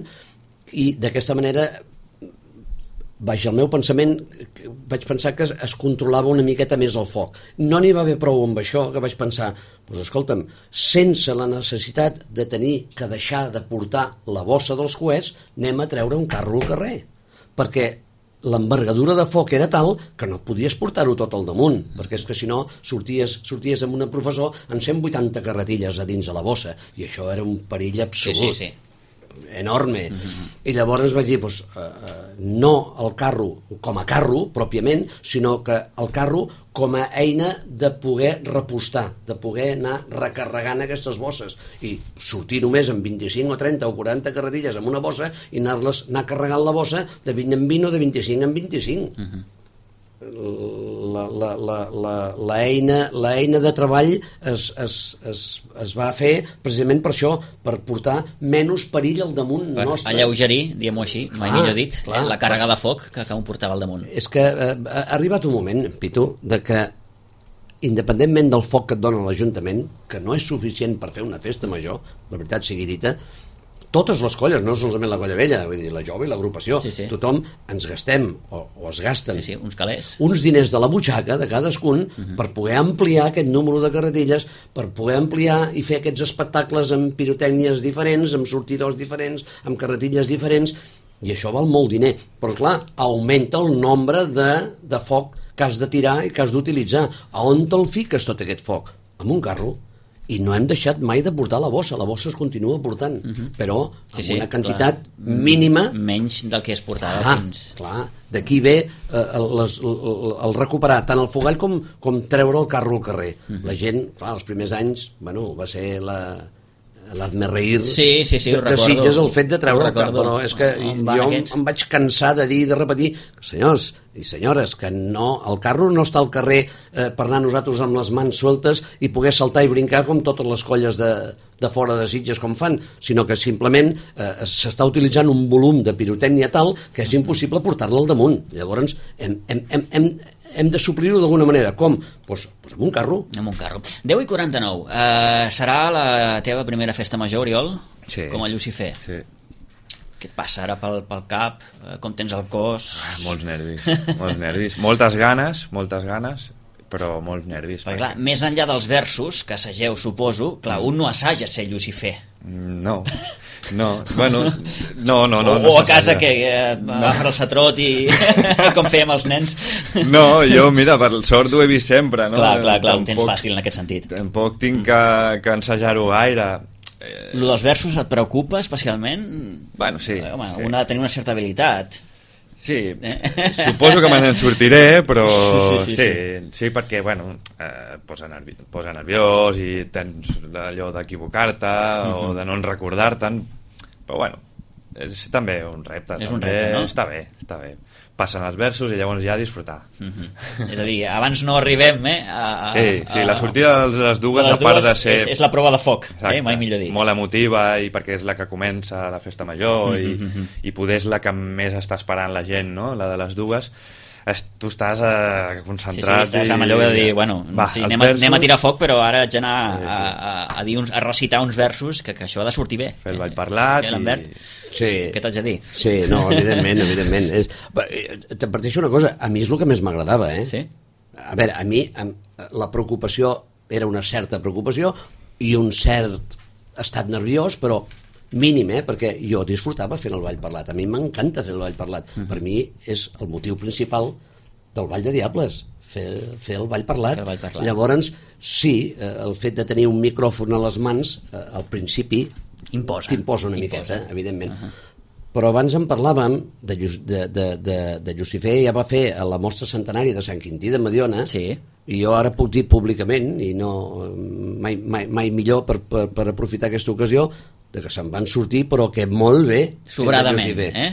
i d'aquesta manera, vaja, el meu pensament, vaig pensar que es, es controlava una miqueta més el foc. No n'hi va haver prou amb això, que vaig pensar, doncs escolta'm, sense la necessitat de tenir que deixar de portar la bossa dels coets, anem a treure un carro al carrer, perquè l'envergadura de foc era tal que no podies portar-ho tot al damunt, perquè és que si no sorties, sorties amb un professor amb cent vuitanta carretilles a dins de la bossa, i això era un perill absolut. Sí, sí, sí. Enorme. Uh-huh. I llavors vaig dir, doncs, uh, uh, no el carro com a carro, pròpiament, sinó que el carro com a eina de poder repostar, de poder anar recarregant aquestes bosses, i sortir només amb vint-i-cinc o trenta o quaranta carretilles amb una bossa i anar-les anar carregant la bossa de vint en vint o de vint-i-cinc en vint-i-cinc. Uh-huh. La, la, la, la, la, eina, la eina de treball es, es, es, es va fer precisament per això, per portar menys perill al damunt per nostre. Alleugerir, diguem-ho així, mai clar, millor dit, clar, eh, la càrrega de foc que, que em portava al damunt. És que eh, ha arribat un moment, Pitu, de que independentment del foc que et dona l'Ajuntament, que no és suficient per fer una festa major, la veritat sigui dita, totes les colles, no solament la colla vella, vull dir, la jove i l'agrupació, sí, sí. Tothom ens gastem, o, o es gasten, sí, sí, uns calés, uns diners de la butxaca de cadascun, uh-huh, per poder ampliar aquest número de carretilles, per poder ampliar i fer aquests espectacles amb pirotècnies diferents, amb sortidors diferents, amb carretilles diferents, i això val molt diner, però clar, augmenta el nombre de, de foc que has de tirar i que has d'utilitzar. A on te'l fiques tot aquest foc? Amb un carro. I no hem deixat mai de portar la bossa, la bossa es continua portant, uh-huh, però amb sí, sí, una quantitat clar, mínima, menys del que es portava ah, fins... Clar, d'aquí ve eh, el, les, el, el recuperar tant el fogall com, com treure el carro al carrer. Uh-huh. La gent, clar, els primers anys, bueno, va ser la... l'Azmerreir sí, sí, sí, de, de Sitges el fet de treure el carro, però és que no, jo em, em vaig cansar de dir i de repetir, senyors i senyores, que no, el carro no està al carrer eh, per anar nosaltres amb les mans sueltes i poder saltar i brincar com totes les colles de, de fora de Sitges com fan, sinó que simplement eh, s'està utilitzant un volum de pirotècnia tal que és impossible portar-la al damunt. Llavors hem, hem, hem, hem hem de suplir-ho d'alguna manera. Com? Doncs pues amb un carro. Amb un carro. deu i quaranta-nou. Uh, serà la teva primera festa major, Oriol? Sí. Com a Llucifer? Sí. Què et passa ara pel, pel cap? Uh, com tens el cos? Ah, molts nervis, molts nervis. Moltes ganes, moltes ganes, però molts nervis. Perquè, clar, més enllà dels versos, que assageu, suposo, clar, un no assaja ser Llucifer. No, no, bueno, no, no, no. O, no o a casa que eh, agafar el satrot i com fèiem els nens. No, jo, mira, per sort ho he vist sempre, no? Clar, clar, clar, ho tens fàcil en aquest sentit. Tampoc tinc que, que ensejar-ho gaire. Eh... Lo dels versos et preocupa especialment? Bueno, sí. Eh, home, sí. Un ha de tenir una certa habilitat. Sí, eh? Suposo que me n'en sortiré, però sí, sí, sí, sí, sí. sí perquè, bueno, eh, posa, nervi posa nerviós i tens allò d'equivocar-te uh-huh. o de no recordar-te'n, però bueno, és també un repte. És també. un repte, no? Està bé, està bé. Passen els versos i llavors ja disfrutar. Uh-huh. És a dir, abans no arribem, eh? A, a, sí, sí, la sortida de les dues, de les a part dues de ser... És, és la prova de foc, exacte, eh? Mai millor dit. Molt emotiva, i perquè és la que comença la festa major, uh-huh. i, i poder és la que més està esperant la gent, no? La de les dues. Es, tu estàs eh, concentrat. Sí, sí, estàs amb allò de dir, bueno, va, sí, anem, versos... a, anem a tirar foc, però ara haig d'anar sí, sí. a, a, a, dir uns, a recitar uns versos que, que això ha de sortir bé. Fer el ball parlat. Eh, Lambert? I... Sí. Què t'haig de dir? Sí, no, evidentment, evidentment. És... Te parteixo una cosa, a mi és el que més m'agradava, eh? Sí? A veure, a mi la preocupació era una certa preocupació i un cert estat nerviós, però mínim, eh? Perquè jo disfrutava fent el ball parlat. A mi m'encanta fer el ball parlat. Uh-huh. Per mi és el motiu principal del Ball de Diables, fer, fer el ball parlat. El ball parlat. Llavors, sí, el fet de tenir un micròfon a les mans, al principi, imposa, t'imposa una imposa. miqueta, evidentment. Uh-huh. Però abans en parlàvem de, de, de, de, de Llucifer, ja va fer a la mostra centenària de Sant Quintí de Mediona, sí. I jo ara puc dir públicament, i no mai, mai, mai millor per, per, per aprofitar aquesta ocasió, de que se'n van sortir, però que molt bé. Sobradament, eh?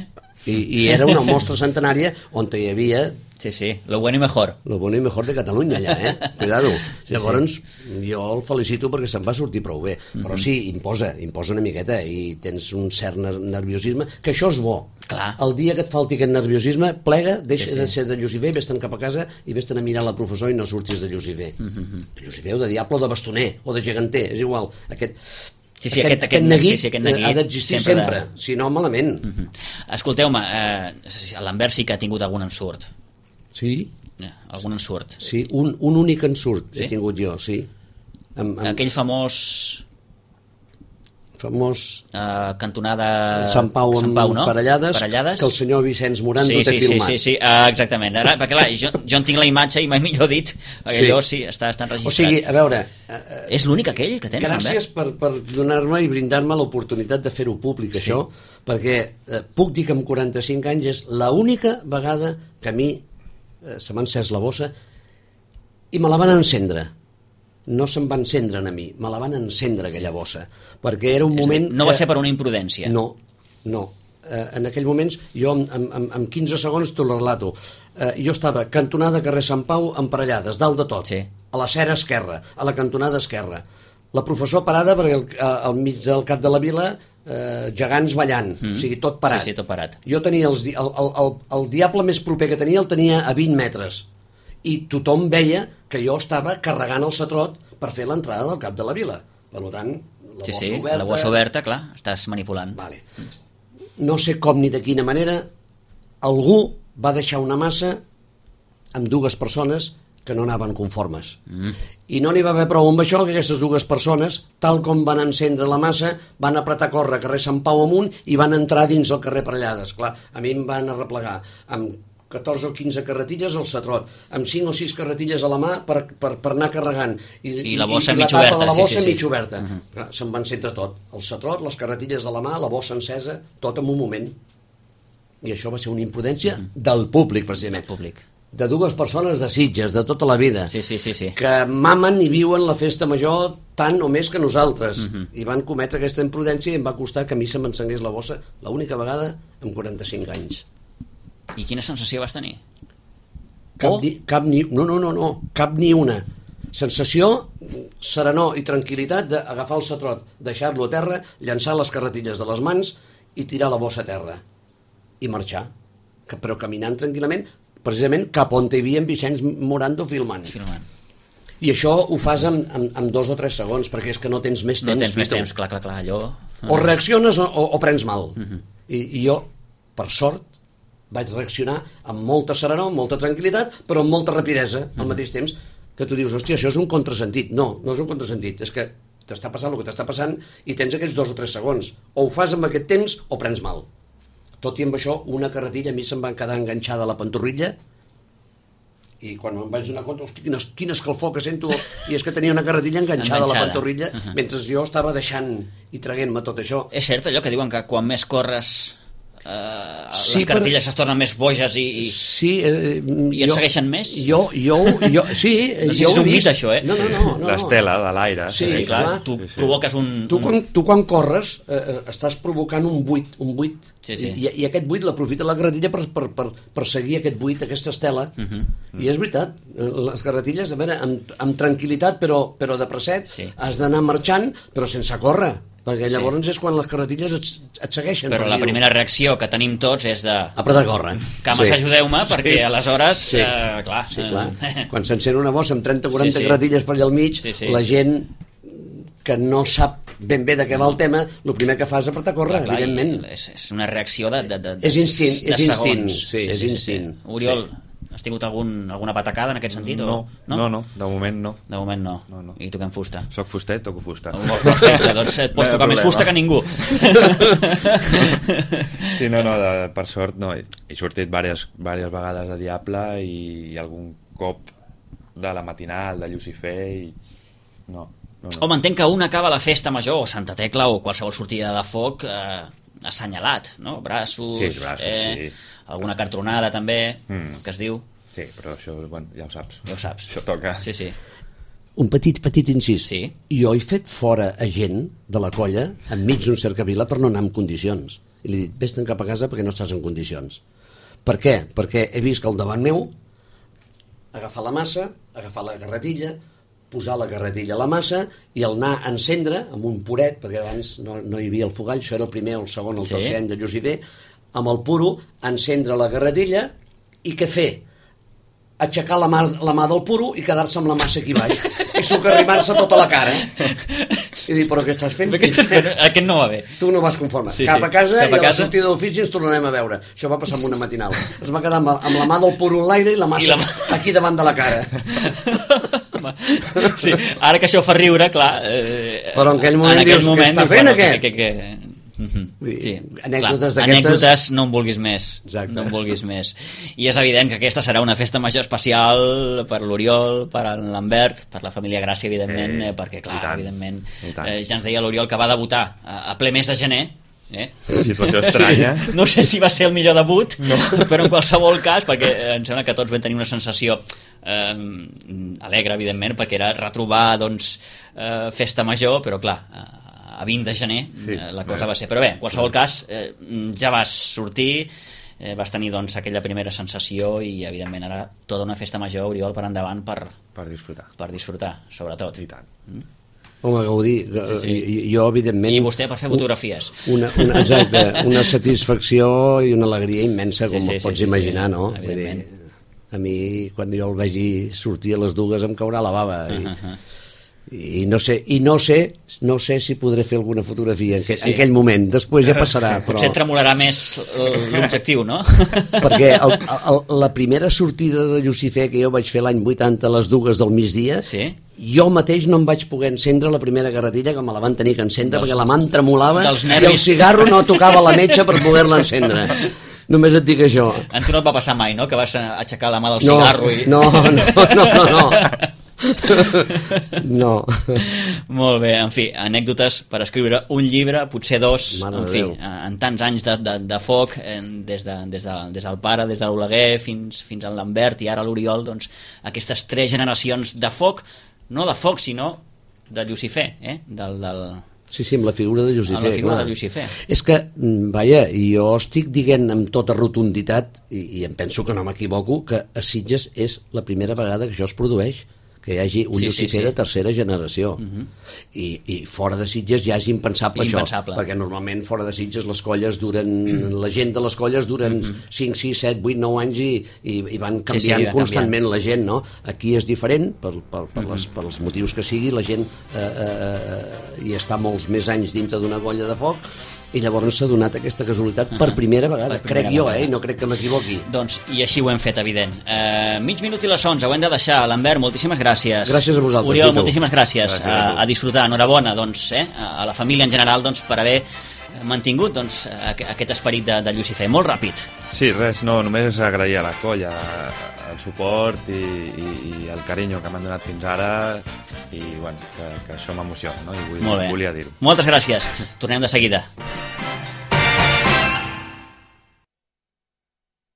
I, I era una mostra centenària on hi havia... Sí, sí, lo bueno y mejor. Lo bueno y mejor de Catalunya, allà, eh? Cuidado. Sí, llavors, sí. Jo el felicito perquè se'n va sortir prou bé. Mm-hmm. Però sí, imposa, imposa una miqueta, i tens un cert nerviosisme, que això és bo. Clar. El dia que et falti aquest nerviosisme, plega, deixa sí, sí. de ser de Llucifer, vés-te'n cap a casa i vés-te'n a mirar la professor i no surtis de Llucifer. Mm-hmm. De Llucifer o de diable o de bastoner o de geganter, és igual. Aquest... Sí, sí, aquest, aquest, neguit, sí, sí, aquest neguit ha d'existir sempre, sempre de... si no malament. Uh -huh. Escolteu-me, eh, l'Anvers sí que ha tingut algun ensurt. Sí? Eh, algun ensurt. Sí, un, un únic ensurt sí? he tingut jo, sí. Amb, amb... Aquell famós... famós... Uh, cantonada... Sant Pau amb Sant Pau, no? Parellades, Parellades, que el senyor Vicenç Morando sí, té sí, filmat. Sí, sí, sí, uh, exactament. Ara, perquè clar, jo, jo en tinc la imatge i mai millor dit, perquè sí. allò sí, està, està enregistrat. O sigui, a veure... Uh, és l'únic aquell que tens, gràcies per, per donar-me i brindar-me l'oportunitat de fer-ho públic, sí. això, perquè eh, puc dir que amb quaranta-cinc anys és l'única vegada que a mi eh, se m'ha encès la bossa i me la van encendre. No se'm va encendre a mi, me la van encendre aquella bossa, perquè era un moment... No va ser per una imprudència. No, no. Eh, en aquell moments, jo en, en, en quinze segons t'ho relato. Eh, jo estava cantonada carrer Sant Pau emparellades, dalt de tot, sí. a la cera esquerra, a la cantonada esquerra. La professor parada perquè al, al mig del cap de la vila eh, gegants ballant, mm. o sigui, tot parat. Sí, sí, tot parat. Jo tenia els, el, el, el, el diable més proper que tenia el tenia a vint metres i tothom veia que jo estava carregant el setrot per fer l'entrada del cap de la vila. Per tant, la sí, bossa sí, oberta... la bossa oberta, clar, estàs manipulant. Vale. No sé com ni de quina manera algú va deixar una massa amb dues persones que no anaven conformes. Mm. I no n'hi va haver prou amb això, que aquestes dues persones, tal com van encendre la massa, van apretar a córrer carrer Sant Pau amunt i van entrar dins el carrer Parellades. Clar, a mi em van arreplegar amb catorze o quinze carretilles al setrot, amb cinc o sis carretilles a la mà per, per, per anar carregant. I, I la bossa i, i mig la oberta. De la bossa sí, sí, mig sí. oberta. Uh -huh. Clar, se'm va encendre tot. El setrot, les carretilles de la mà, la bossa encesa, tot en un moment. I això va ser una imprudència uh -huh. del públic, precisament. Del públic. De dues persones de Sitges, de tota la vida, sí, sí, sí, sí. que mamen i viuen la festa major tant o més que nosaltres, uh -huh. i van cometre aquesta imprudència i em va costar que a mi se m'encengués la bossa l'única vegada en quaranta-cinc anys. I quina sensació vas tenir? Cap, oh. ni, cap ni, no, no, no, no, cap ni una. Sensació, serenor i tranquil·litat d'agafar el setrot, deixar-lo a terra, llançar les carretilles de les mans i tirar la bossa a terra. I marxar. Que, però caminant tranquil·lament, precisament cap on hi havia en Vicenç Morando filmant. filmant. I això ho fas en, en, en dos o tres segons, perquè és que no tens més temps. No tens més temps, clar, clar, clar, allò... O reacciones o, o, o prens mal. Uh -huh. I, I jo, per sort, vaig reaccionar amb molta serenor, amb molta tranquil·litat, però amb molta rapidesa, al uh -huh. mateix temps, que tu dius, hòstia, això és un contrasentit. No, no és un contrasentit, és que t'està passant el que t'està passant i tens aquests dos o tres segons. O ho fas amb aquest temps o prens mal. Tot i amb això, una carretilla a mi se'm va quedar enganxada a la pantorrilla i quan em vaig donar compte, hosti, quin, quin escalfor que sento, i és que tenia una carretilla enganxada, enganxada. a la pantorrilla, uh -huh. mentre jo estava deixant i traguent-me tot això. És cert allò que diuen que quan més corres eh, sí, les cartilles però... es tornen més boges i, i, sí, eh, i et jo, segueixen més? Jo, jo, jo sí, no sé jo si ho he vist, vist. això, eh? No, no, no, no. L'estela de l'aire. Sí, sí, sí, clar, clar. tu sí, sí. provoques un... Tu un... quan, tu quan corres eh, estàs provocant un buit, un buit sí, sí. I, i aquest buit l'aprofita la carretilla per, per, per, per seguir aquest buit, aquesta estela. Uh -huh. I és veritat, les carretilles, a veure, amb, amb tranquil·litat, però, però de preset, sí. has d'anar marxant, però sense córrer, perquè llavors sí. és quan les carretilles et, et segueixen. Però per la primera reacció que tenim tots és de... Apretar a córrer. Cames, sí. ajudeu-me, perquè sí. aleshores... Sí, eh, clar, sí, clar. Eh... Quan s'encén una bossa amb trenta o quaranta sí, sí. carretilles per allà al mig, sí, sí. la gent que no sap ben bé de què va el tema, el primer que fa és apretar a córrer, clar, clar, evidentment. És, és una reacció de, de, de, és instint, de és instint, segons. sí, sí, és sí, instint. Sí. Oriol, sí. has tingut algun, alguna patacada en aquest sentit? No, o, no, no, no, de moment no. De moment no. no, no. I toquem fusta? Soc fustet, toco fusta. Oh, perfecte, doncs et pots no tocar més fusta que ningú. Sí, no, no, de, per sort no. He sortit diverses, diverses vegades de Diable i, i algun cop de la matinal, de Llucifer i... No, no, no. Home, entenc que un acaba la festa major o Santa Tecla o qualsevol sortida de foc eh, assenyalat, no? Braços, sí, braços eh, sí. alguna cartronada també, mm. que es diu. Sí, però això, bueno, ja ho saps. Ja ho saps. Això toca. Sí, sí. Un petit, petit incís. Sí. Jo he fet fora a gent de la colla enmig d'un cercavila per no anar en condicions. I li he dit, vés-te'n cap a casa perquè no estàs en condicions. Per què? Perquè he vist que al davant meu agafar la massa, agafar la carretilla, posar la carretilla a la massa i el anar a encendre amb un puret, perquè abans no, no hi havia el fogall, això era el primer, el segon, el sí. tercer any de Llucifer, amb el puro, encendre la carretilla i què fer? aixecar la mà, la mà del puro i quedar-se amb la massa aquí baix i socarrimar-se tota la cara i dir, però què estàs fent? Què estàs fent? Aquest no va bé. Tu no vas conforme. Sí, cap sí. a casa Cap a i a la casa. sortida d'ofici ens tornarem a veure. Això va passar amb una matinal. Es va quedar amb, amb la mà del puro en l'aire i la massa I la mà... aquí davant de la cara. Sí, ara que això fa riure, clar... Eh, però en aquell moment, en aquell dius, moment, què està fent, bueno, aquest? Que, que, que... Uh-huh. Sí, anècdotes clar, d'aquestes... anècdotes no en vulguis més. Exacte. No en vulguis més. I és evident que aquesta serà una festa major especial per l'Oriol, per l'Ambert, per la família Gràcia, evidentment, eh, perquè, clar, evidentment, eh, ja ens deia l'Oriol que va debutar a, a ple mes de gener. Eh? Situació estranya. No sé si va ser el millor debut, no. Però en qualsevol cas, perquè em sembla que tots vam tenir una sensació eh, alegre, evidentment, perquè era retrobar doncs, eh, festa major, però clar, a vint de gener sí, la cosa bé. va ser. Però bé, en qualsevol cas, eh, ja vas sortir, eh, vas tenir doncs, aquella primera sensació i, evidentment, ara tota una festa major, Oriol, per endavant per, per disfrutar. Per disfrutar, sobretot. I tant. Mm? Home, gaudir. Sí, sí. Jo, evidentment... I vostè per fer fotografies. Una, una, exacte, una satisfacció i una alegria immensa, com sí, sí, pots sí, imaginar, sí, no? Vull dir, a mi, quan jo el vegi sortir a les dues, em caurà la bava. I, uh -huh. i no sé, i no sé, no sé si podré fer alguna fotografia en, que, sí, sí. en aquell moment. Després ja passarà. Però... Potser tremolarà més l'objectiu, no? Perquè el, el, la primera sortida de Llucifer que jo vaig fer l'any vuitanta a les dues del migdia, sí? Jo mateix no em vaig poder encendre la primera carretilla, que me la van tenir que encendre dels, perquè la mà em tremolava i el cigarro no tocava la metxa per poder-la encendre. Només et dic això. A tu no et va passar mai, no?, que vas aixecar la mà del cigarro no, i... No, no, no, no, no. No. Molt bé, en fi, anècdotes per escriure un llibre, potser dos. Mare en fi, en tants anys de, de, de foc, des, de, des, de, des del pare, des de l'Oleguer fins, fins al Lambert i ara l'Oriol, doncs aquestes tres generacions de foc, no de foc sinó de Llucifer, eh? del, del... Sí, sí, amb la figura de Llucifer. Amb la figura clar. de Llucifer. És que, vaja, jo estic dient amb tota rotunditat, i, i em penso que no m'equivoco, que a Sitges és la primera vegada que això es produeix, que hi hagi un sí, Llucifer sí, sí. de tercera generació. Uh-huh. I, I fora de Sitges ja és impensable, impensable això, perquè normalment fora de Sitges les colles duren, la gent de les colles duren uh-huh. cinc, sis, set, vuit, nou anys i, i, i van canviant sí, sí, constantment canviant. La gent, no? Aquí és diferent, per, per, per, uh-huh. les, per els motius que sigui, la gent eh, eh, hi està molts més anys dintre d'una colla de foc, i llavors s'ha donat aquesta casualitat uh-huh. per primera vegada, per primera crec jo, vegada. eh? No crec que m'equivoqui. Doncs, i així ho hem fet, evident. Uh, mig minut i les onze, ho hem de deixar. Lambert, moltíssimes gràcies. Gràcies a vosaltres. Oriol, moltíssimes gràcies. gràcies a, a disfrutar, enhorabona, doncs, eh? a la família en general, doncs, per haver mantingut doncs, aquest esperit de, de Llucifer. Molt ràpid. Sí, res, no, només agrair a la colla el suport i, i, i el carinyo que m'han donat fins ara i bueno, que, que això m'emociona, no? I vull, volia dir-ho. Moltes gràcies. Tornem de seguida.